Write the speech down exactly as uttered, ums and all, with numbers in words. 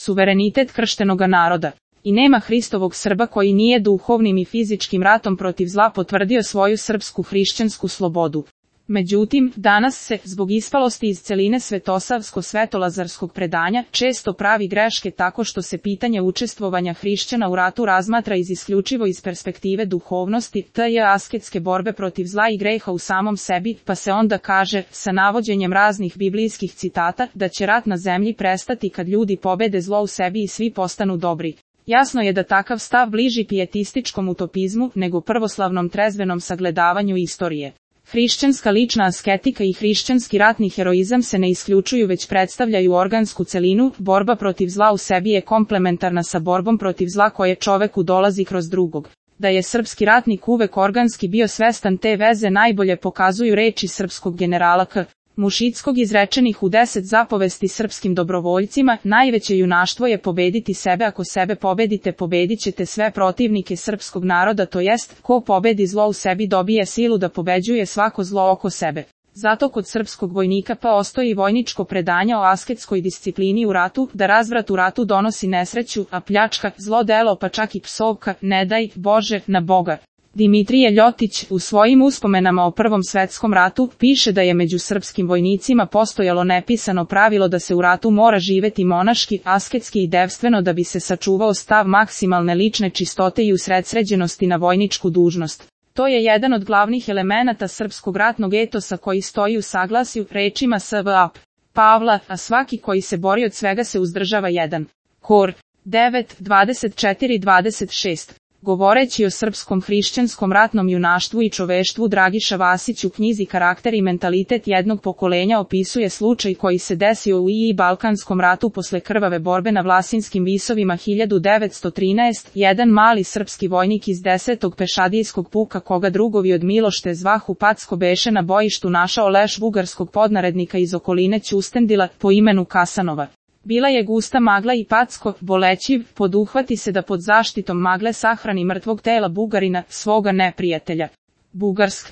suverenitet krštenoga naroda. I nema Hristovog Srba koji nije duhovnim i fizičkim ratom protiv zla potvrdio svoju srpsku hrišćansku slobodu. Međutim, danas se, zbog ispalosti iz celine svetosavsko-svetolazarskog predanja, često pravi greške tako što se pitanje učestvovanja hrišćana u ratu razmatra iz isključivo iz perspektive duhovnosti, tj. asketske borbe protiv zla i greha u samom sebi, pa se onda kaže, sa navođenjem raznih biblijskih citata, da će rat na zemlji prestati kad ljudi pobede zlo u sebi i svi postanu dobri. Jasno je da takav stav bliži pijetističkom utopizmu nego prvoslavnom trezvenom sagledavanju istorije. Hrišćanska lična asketika i hrišćanski ratni heroizam se ne isključuju već predstavljaju organsku celinu, borba protiv zla u sebi je komplementarna sa borbom protiv zla koje čoveku dolazi kroz drugog. Da je srpski ratnik uvek organski bio svestan te veze najbolje pokazuju reči srpskog generala K. Mušickog izrečenih u deset zapovesti srpskim dobrovoljcima, najveće junaštvo je pobediti sebe, ako sebe pobedite pobedit ćete sve protivnike srpskog naroda, to jest, ko pobedi zlo u sebi dobije silu da pobeđuje svako zlo oko sebe. Zato kod srpskog vojnika pa ostoji vojničko predanje o asketskoj disciplini u ratu, da razvrat u ratu donosi nesreću, a pljačka, zlo delo pa čak i psovka, ne daj Bože, na Boga. Dimitrije Ljotić u svojim uspomenama o Prvom svetskom ratu piše da je među srpskim vojnicima postojalo nepisano pravilo da se u ratu mora živeti monaški, asketski i devstveno da bi se sačuvao stav maksimalne lične čistote i usredsređenosti na vojničku dužnost. To je jedan od glavnih elemenata srpskog ratnog etosa koji stoji u saglasju rečima S V A Pavla, a svaki koji se bori od svega se uzdržava jedan. Kor devet, dvadeset četiri dvadeset šest. Govoreći o srpskom hrišćanskom ratnom junaštvu i čoveštvu, Dragiša Vasić u knjizi Karakter i mentalitet jednog pokolenja opisuje slučaj koji se desio u i Balkanskom ratu posle krvave borbe na Vlasinskim visovima hiljadu devetsto trinaeste. Jedan mali srpski vojnik iz desetog pešadijskog puka koga drugovi od Milošte zvahu Packo beše na bojištu našao leš bugarskog podnarednika iz okoline Ćustendila po imenu Kasanova. Bila je gusta magla i Packo, bolećiv, poduhvati se da pod zaštitom magle sahrani mrtvog tela Bugarina, svoga neprijatelja. Bugarsk.